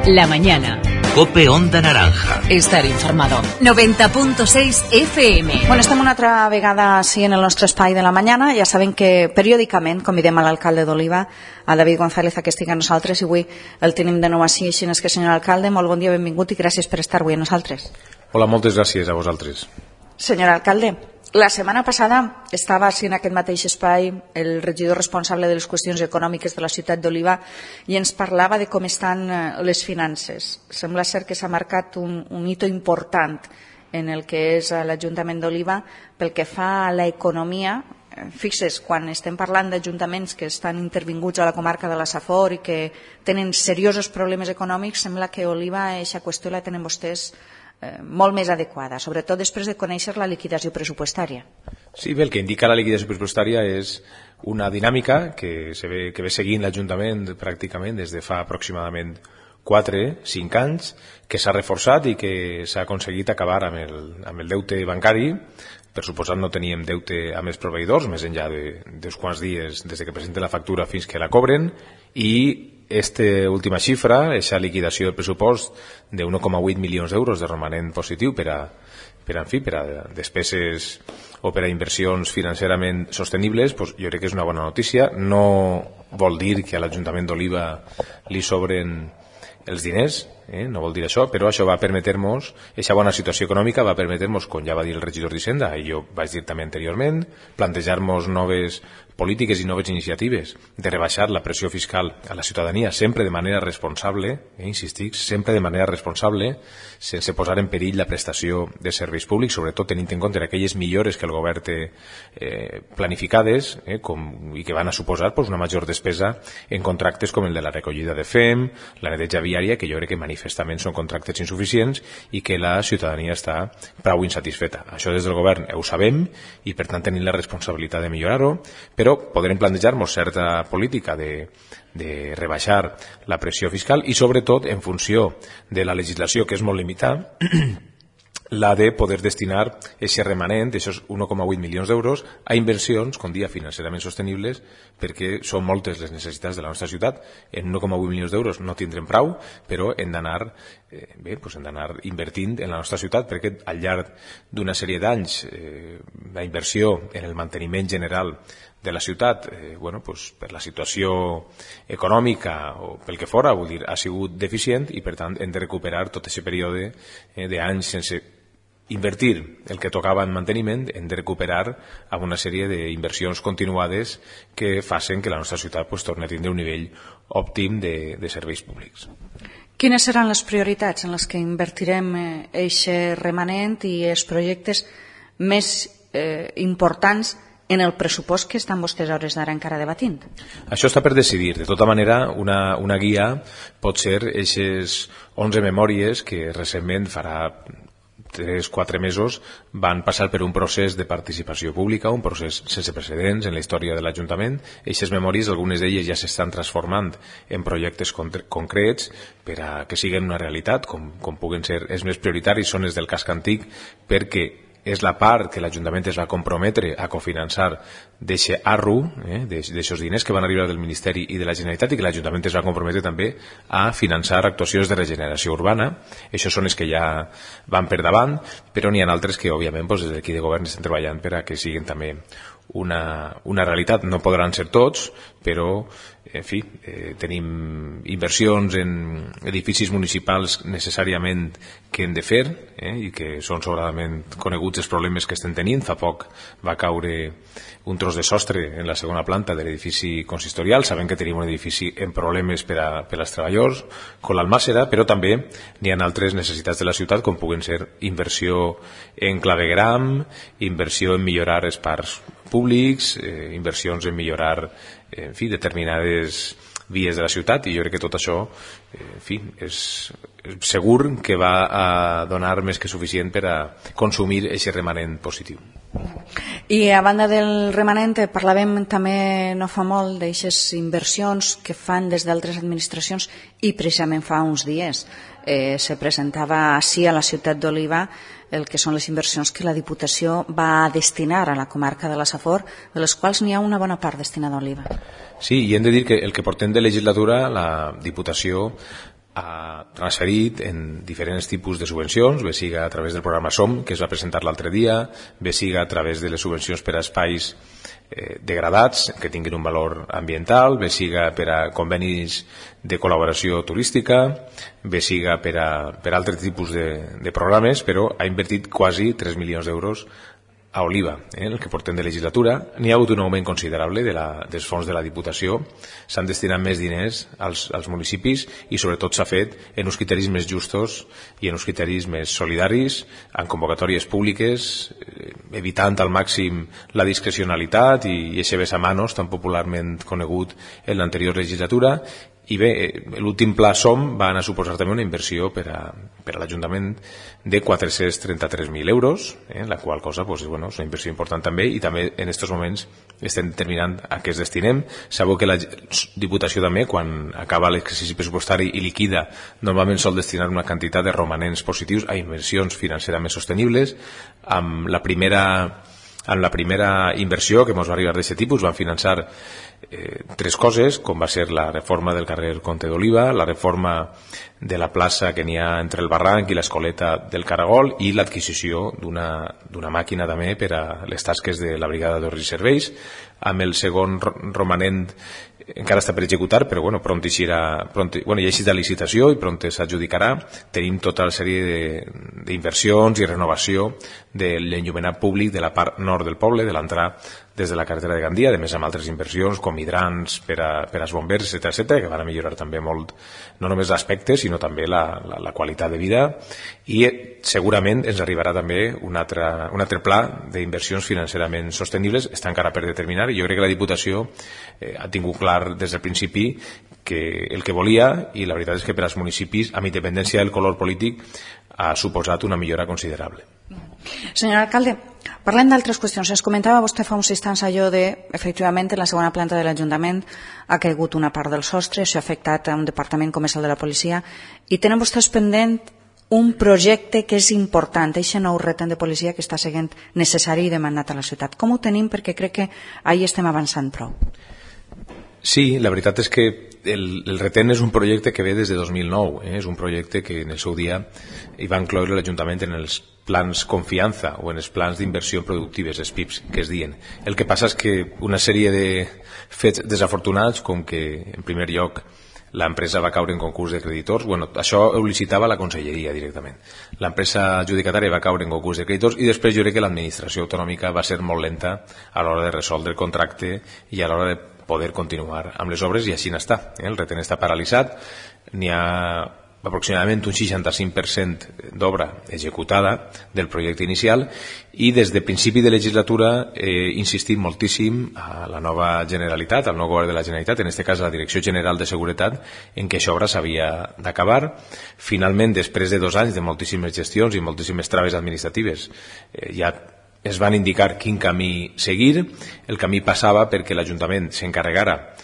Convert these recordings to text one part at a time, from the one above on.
La mañana. COPE Onda Naranja. Estar informado. 90.6 FM. Bueno, estem una altra vegada així en el nostre espai de la mañana. Ja saben que periòdicament convidem a l'alcalde d'Oliva, a David González, a que estigui amb nosaltres, i avui el tenim de nou així. Així és que, senyor alcalde, molt bon dia, benvingut i gràcies per estar avui amb nosaltres. Hola, moltes gràcies a vosaltres. Senyor alcalde, la setmana passada estava així en aquest mateix espai el regidor responsable de les qüestions econòmiques de la ciutat d'Oliva i ens parlava de com estan les finances. Sembla ser que s'ha marcat un hito important en el que és l'Ajuntament d'Oliva pel que fa a l'economia. Fixes, quan estem parlant d'ajuntaments que estan intervinguts a la comarca de la Safor i que tenen seriosos problemes econòmics, sembla que Oliva, aquesta qüestió la tenen vostès molt més adequada, sobretot després de conèixer la liquidació pressupostària. Sí, bé, el que indica la liquidació pressupostària és una dinàmica que ve seguint l'Ajuntament pràcticament des de fa aproximadament 4-5 anys, que s'ha reforçat i que s'ha aconseguit acabar amb el deute bancari. Per suposat no teníem deute amb els proveïdors, més enllà d'uns quants dies des que presenten la factura fins que la cobren, i esta última xifra, aquesta liquidació del pressupost de 1,8 milions d'euros de romanent positiu per a despeses o per a inversions financerament sostenibles, doncs jo crec que és una bona notícia. No vol dir que a l'Ajuntament d'Oliva li sobren els diners, no vol dir això, però això va permetre-nos, aquesta bona situació econòmica va permetre-nos, com ja va dir el regidor d'Hisenda, i jo vaig dir també anteriorment, plantejar-nos noves polítiques i noves iniciatives de rebaixar la pressió fiscal a la ciutadania, sempre de manera responsable, insistic, sempre de manera responsable, sense posar en perill la prestació de serveis públics, sobretot tenint en compte aquelles millores que el govern té planificades i que van a suposar una major despesa en contractes com el de la recollida de fem, la neteja viària, que jo crec que manifestament són contractes insuficients i que la ciutadania està prou insatisfeta. Això des del govern ho sabem i per tant tenim la responsabilitat de millorar-ho, però podrem plantejar-nos certa política de rebaixar la pressió fiscal i sobretot en funció de la legislació, que és molt limitada, la de poder destinar aquest remanent, aquests 1,8 milions d'euros, a inversions, com dia, financerament sostenibles, perquè són moltes les necessitats de la nostra ciutat. En 1,8 milions d'euros no tindrem prou, però hem d'anar invertint en la nostra ciutat, perquè al llarg d'una sèrie d'anys la inversió en el manteniment general de la ciutat, per la situació econòmica o pel que fora, vull dir, ha sigut deficient i per tant hem de recuperar tot aquest període d'anys sense invertir el que tocava en manteniment, hem de recuperar amb una sèrie d'inversions continuades que facin que la nostra ciutat torni a tindre un nivell òptim de serveis públics. Quines seran les prioritats en les que invertirem aquest remanent i els projectes més importants en el pressupost que estan vostès a hores d'ara encara debatint? Això està per decidir. De tota manera, una guia pot ser aquestes 11 memòries que recentment farà 3-4 mesos van passar per un procés de participació pública, un procés sense precedents en la història de l'Ajuntament. Aquestes memòries, algunes d'elles ja s'estan transformant en projectes concrets per a que siguin una realitat, com puguen ser els més prioritaris, són els del casc antic, perquè és la part que l'Ajuntament es va comprometre a cofinançar d'aquest ARRU, d'aixòs diners que van arribar del Ministeri i de la Generalitat, i que l'Ajuntament es va comprometre també a finançar actuacions de regeneració urbana. Això són els que ja van per davant, però n'hi ha altres que, òbviament, des d'aquí de govern estem treballant per a que siguin també una realitat. No podran ser tots, però en fi, tenim inversions en edificis municipals necessàriament que hem de fer i que són sobradament coneguts els problemes que estem tenint. Fa poc va caure un tros de sostre en la segona planta de l'edifici consistorial. Sabem que tenim un edifici en problemes per als treballadors, com l'Almàssera, però també n'hi ha altres necessitats de la ciutat, com puguen ser inversió en clavegram, inversió en millorar els parcs públics, inversions en millorar determinades vies de la ciutat, i jo crec que tot això és segur que va a donar més que suficient per a consumir aquest remanent positiu. I a banda del remanent parlàvem també no fa molt d'aixes inversions que fan des d'altres administracions, i precisament fa uns dies se presentava així a la ciutat d'Oliva el que són les inversions que la Diputació va destinar a la comarca de la Safor, de les quals n'hi ha una bona part destinada a Oliva. Sí, i hem de dir que el que portem de legislatura la Diputació ha transferit en diferents tipus de subvencions, bé siga a través del programa SOM, que es va presentar l'altre dia, bé siga a través de les subvencions per a espais degradats que tinguin un valor ambiental, bé siga per a convenis de col·laboració turística, bé siga per altres tipus de programes, però ha invertit quasi 3 milions d'euros a Oliva, el que portem de legislatura. N'hi ha hagut un augment considerable dels fons de la Diputació, s'han destinat més diners als municipis i sobretot s'ha fet en uns criteris més justos i en uns criteris més solidaris, en convocatòries públiques, evitant al màxim la discrecionalitat i ese besamanos tan popularment conegut en l'anterior legislatura. I bé, l'últim pla SOM va anar a suposar també una inversió per a l'Ajuntament de 433.000 euros, la qual cosa és una inversió important també, i també en aquests moments estem determinant a què es destinem. Sabeu que la Diputació també, quan acaba l'exercici pressupostari i liquida, normalment sol destinar una quantitat de romanents positius a inversions financerament sostenibles. Amb la primera inversió que ens va arribar d'aquest tipus van finançar 3 coses, com va ser la reforma del carrer Comte d'Oliva, la reforma de la plaça que n'hi ha entre el barranc i l'escoleta del Caragol i l'adquisició d'una màquina també per a les tasques de la brigada d'ordre i serveis. Amb el segon romanent encara està per executar, però pront ja ha eixit de licitació i pront s'adjudicarà. Tenim tota la sèrie d'inversions i renovació de l'enllumenat públic de la part nord del poble, de l'entrada des de la carretera de Gandia, a més amb altres inversions com hidrants per als bombers, etc., que van a millorar també molt, no només l'aspecte, sinó també la qualitat de vida, i segurament ens arribarà també un altre pla d'inversions financerament sostenibles, està encara per determinar, i jo crec que la Diputació ha tingut clar des del principi que el que volia, i la veritat és que per als municipis, amb independència del color polític, ha suposat una millora considerable. Senyor alcalde, parlem d'altres qüestions. Es comentava vostè fa uns instants allò de, efectivament, en la segona planta de l'Ajuntament ha caigut una part del sostre, això ha afectat a un departament com és el de la policia, i tenen vostès pendent un projecte que és important, aquest nou retent de policia que està sent necessari i demandat a la ciutat. Com ho tenim? Perquè crec que ahir estem avançant prou. Sí, la veritat és que el retent és un projecte que ve des de 2009, és un projecte que en el seu dia hi va incloure l'Ajuntament en els plans confiança o en els plans d'inversió productives, els PIPs, que es diuen. El que passa és que una sèrie de fets desafortunats, com que en primer lloc l'empresa va caure en concurs de creditors, això ho licitava la conselleria directament. L'empresa adjudicatària va caure en concurs de creditors i després jo crec que l'administració autonòmica va ser molt lenta a l'hora de resoldre el contracte i a l'hora de poder continuar amb les obres, i així n'està. El retent està paralitzat, n'hi ha aproximadament un 65% d'obra executada del projecte inicial, i des de principi de legislatura he insistit moltíssim a la nova Generalitat, al nou govern de la Generalitat, en aquest cas a la Direcció General de Seguretat, en què això obra s'havia d'acabar. Finalment, després de 2 anys de moltíssimes gestions i moltíssimes traves administratives, ja es van indicar quin camí seguir. El camí passava perquè l'Ajuntament s'encarregara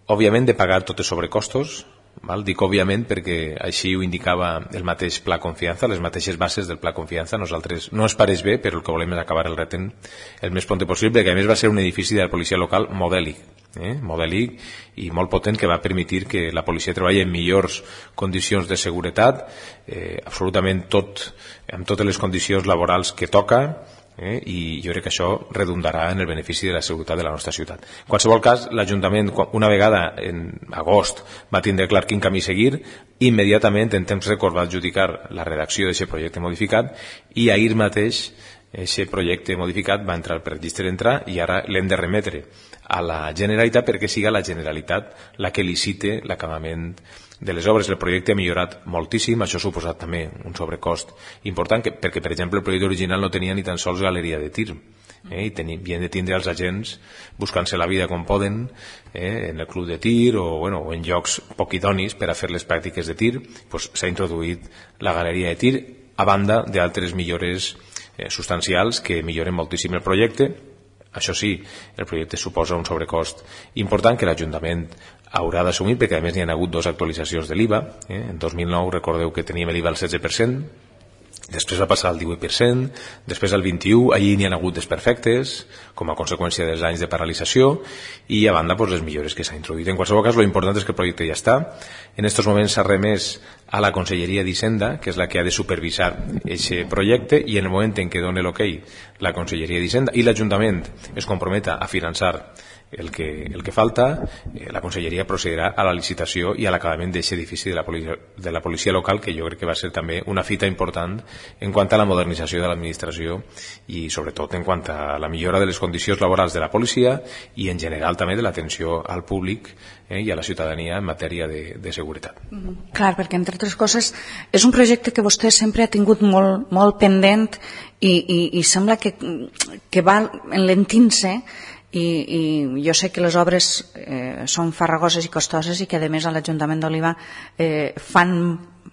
òbviament de pagar tots els sobrecostos. Dic òbviament perquè així ho indicava el mateix Pla Confiança, les mateixes bases del Pla Confiança. Nosaltres no ens pareix bé, però el que volem és acabar el retent el més pront possible, que a més va ser un edifici de la policia local modèlic i molt potent, que va permetre que la policia treballi en millors condicions de seguretat, absolutament amb totes les condicions laborals que toca, i jo crec que això redundarà en el benefici de la seguretat de la nostra ciutat. En qualsevol cas, l'Ajuntament, una vegada en agost va tindre clar quin camí seguir, immediatament en temps rècord va adjudicar la redacció d'aquest projecte modificat, i ahir mateix aquest projecte modificat va entrar per registre d'entrar, i ara l'hem de remetre a la Generalitat perquè siga la Generalitat la que licite l'acabament de les obres. El projecte ha millorat moltíssim, això ha suposat també un sobrecost important, perquè, per exemple, el projecte original no tenia ni tan sols galeria de tir, i havien de tindre els agents buscant-se la vida com poden en el club de tir o en llocs poc idonis per a fer les pràctiques de tir. S'ha introduït la galeria de tir, a banda d'altres millores substancials que milloren moltíssim el projecte. Això sí, el projecte suposa un sobrecost important que l'Ajuntament haurà d'assumir, perquè a més n'hi ha hagut 2 actualitzacions de l'IVA. En 2009 recordeu que teníem l'IVA al 16%, després va passar al 18%, després al 21%, allí n'hi ha hagut desperfectes, com a conseqüència dels anys de paralització, i a banda les millores que s'ha introduït. En qualsevol cas, l'important és que el projecte ja està. En aquests moments s'ha remès a la Conselleria d'Hisenda, que és la que ha de supervisar aquest projecte, i en el moment en què doni l'okei la Conselleria d'Hisenda i l'Ajuntament es comprometa a finançar el que falta, la Conselleria procedirà a la licitació i a l'acabament d'aquest edifici de la policia local, que jo crec que va ser també una fita important en quant a la modernització de l'administració i sobretot en quant a la millora de les condicions laborals de la policia i en general també de l'atenció al públic i a la ciutadania en matèria de seguretat. Clar, perquè entre altres coses és un projecte que vostè sempre ha tingut molt pendent i sembla que va enlentint-se, i jo sé que les obres són farragoses i costoses i que a més a l'Ajuntament d'Oliva fan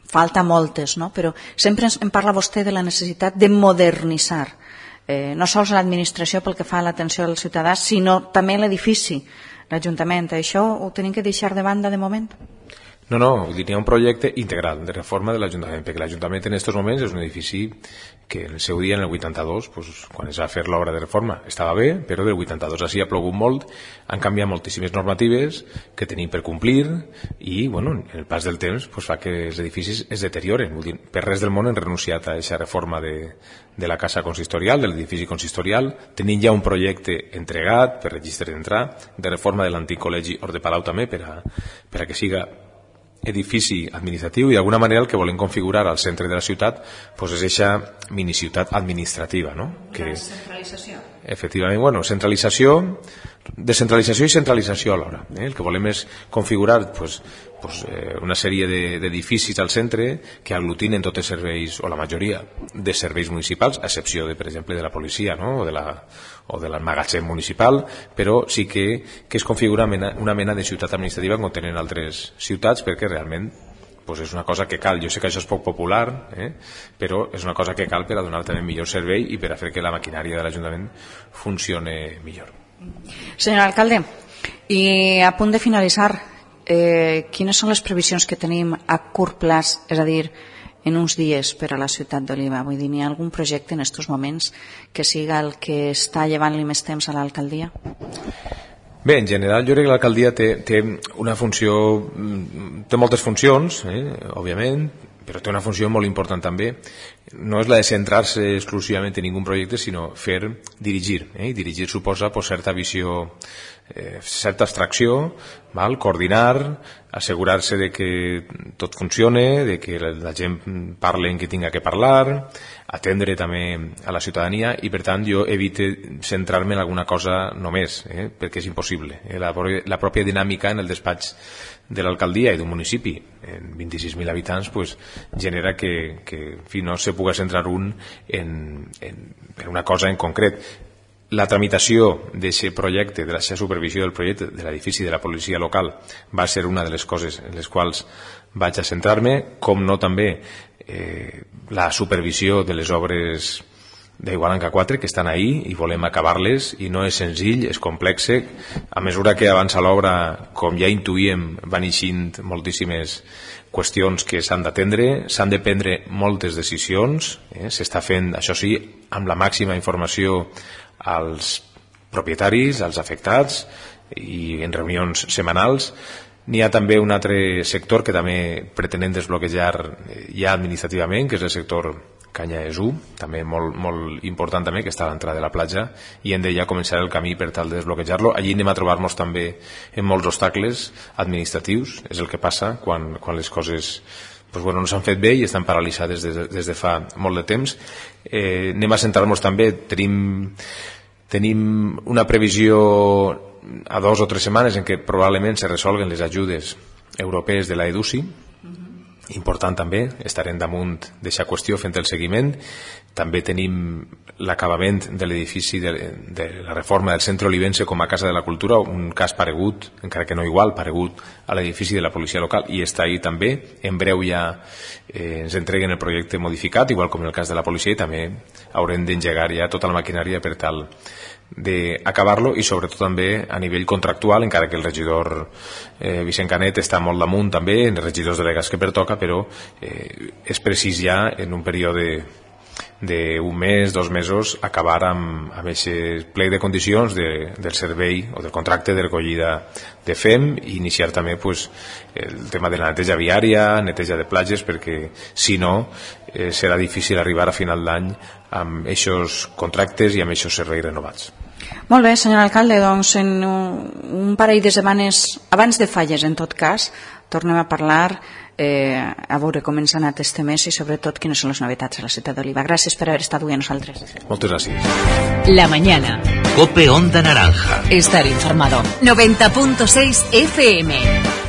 falta moltes, no? Però sempre em parla vostè de la necessitat de modernitzar no sols l'administració pel que fa a l'atenció al ciutadà, sinó també l'edifici, l'Ajuntament. Això ho tenim que deixar de banda de moment? No, vull dir, hi ha un projecte integral de reforma de l'Ajuntament, perquè l'Ajuntament en aquests moments és un edifici que en el seu dia, en el 82, quan es va fer l'obra de reforma, estava bé, però del 82 així ha plogut molt, han canviat moltíssimes normatives que tenim per complir i, en el pas del temps fa que els edificis es deterioren. Vull dir, per res del món hem renunciat a aquesta reforma de la casa consistorial, de l'edifici consistorial. Tenim ja un projecte entregat per registre d'entrar, de reforma de l'antic col·legi Hort de Palau també, per a que siga edifici administratiu, i d'alguna manera el que volem configurar al centre de la ciutat és aquesta miniciutat administrativa, no? Una descentralització. Efectivament, descentralització i centralització alhora. El que volem és configurar una sèrie d'edificis al centre que aglutinen tots els serveis, o la majoria de serveis municipals, a excepció, per exemple, de la policia, no? o de l'emmagatzem municipal, però sí que es configura una mena de ciutat administrativa com tenen altres ciutats, perquè realment és una cosa que cal. Jo sé que això és poc popular, però és una cosa que cal per a donar també millor servei i per a fer que la maquinària de l'Ajuntament funcione millor. Senyor alcalde, i a punt de finalitzar, quines són les previsions que tenim a curt plaç, és a dir, en uns dies per a la ciutat d'Oliva? Vull dir, n'hi ha algun projecte en aquests moments que siga el que està llevant-li més temps a l'alcaldia? Bé, en general jo crec que l'alcaldia té una funció, té moltes funcions, òbviament, però té una funció molt important també. No és la de centrar-se exclusivament en ningun projecte, sinó dirigir. I dirigir suposa certa visió, certa abstracció, coordinar, assegurar-se de que tot funcione, de que la gent parli en qui tinga que parlar, atendre també a la ciutadania, i per tant jo evito centrar-me en alguna cosa només, perquè és impossible. La pròpia dinàmica en el despatx de l'alcaldia i d'un municipi en 26.000 habitants genera que no se pugui centrar un en una cosa en concret. La tramitació d'aquest projecte, de la supervisió del projecte de l'edifici de la policia local, va ser una de les coses en les quals vaig a centrar-me, com no també la supervisió de les obres d'Igualanca 4 que estan ahí i volem acabar-les, i no és senzill, és complexe. A mesura que avança l'obra, com ja intuïem, van eixint moltíssimes qüestions que s'han d'atendre, s'han de prendre moltes decisions, s'està fent, això sí, amb la màxima informació als propietaris, als afectats, i en reunions setmanals. N'hi ha també un altre sector que també pretenem desbloquejar ja administrativament, que és el sector Canya Esú, també molt important també, que està a l'entrada de la platja, i hem de ja començar el camí per tal de desbloquejar-lo. Allí anem a trobar-nos també en molts obstacles administratius, és el que passa quan les coses no s'han fet bé i estan paralitzades des de fa molt de temps. Anem a centrar-nos també, tenim una previsió a 2 o 3 setmanes en què probablement se resolguen les ajudes europees de la EDUSI. Important també, estarem damunt d'aquesta qüestió fent el seguiment. També tenim l'acabament de l'edifici de la reforma del Centre Olivense com a Casa de la Cultura, un cas paregut, encara que no igual, paregut a l'edifici de la policia local, i està ahí també. En breu ja ens entreguen el projecte modificat, igual com en el cas de la policia, i també haurem d'engegar ja tota la maquinària per tal d'acabar-lo, i sobretot també a nivell contractual, encara que el regidor Vicent Canet està molt damunt també, en els regidors delegats que pertoca, però és precís ja en un període d'un mes, 2 mesos, acabar amb aquest plec de condicions del servei o del contracte de recollida de FEM, i iniciar també el tema de la neteja viària, neteja de platges, perquè si no serà difícil arribar a final d'any amb aquests contractes i amb aquests serveis renovats. Molt bé, senyor alcalde, doncs en un parell de setmanes abans de falles, en tot cas, tornem a parlar, a veure com ens ha anat este mes i sobretot quines són les novetats a la ciutat d'Oliva. Gràcies per haver estat avui amb nosaltres. Moltes gràcies. La mañana. Cope Onda Naranja. Estar informado. 90.6 FM.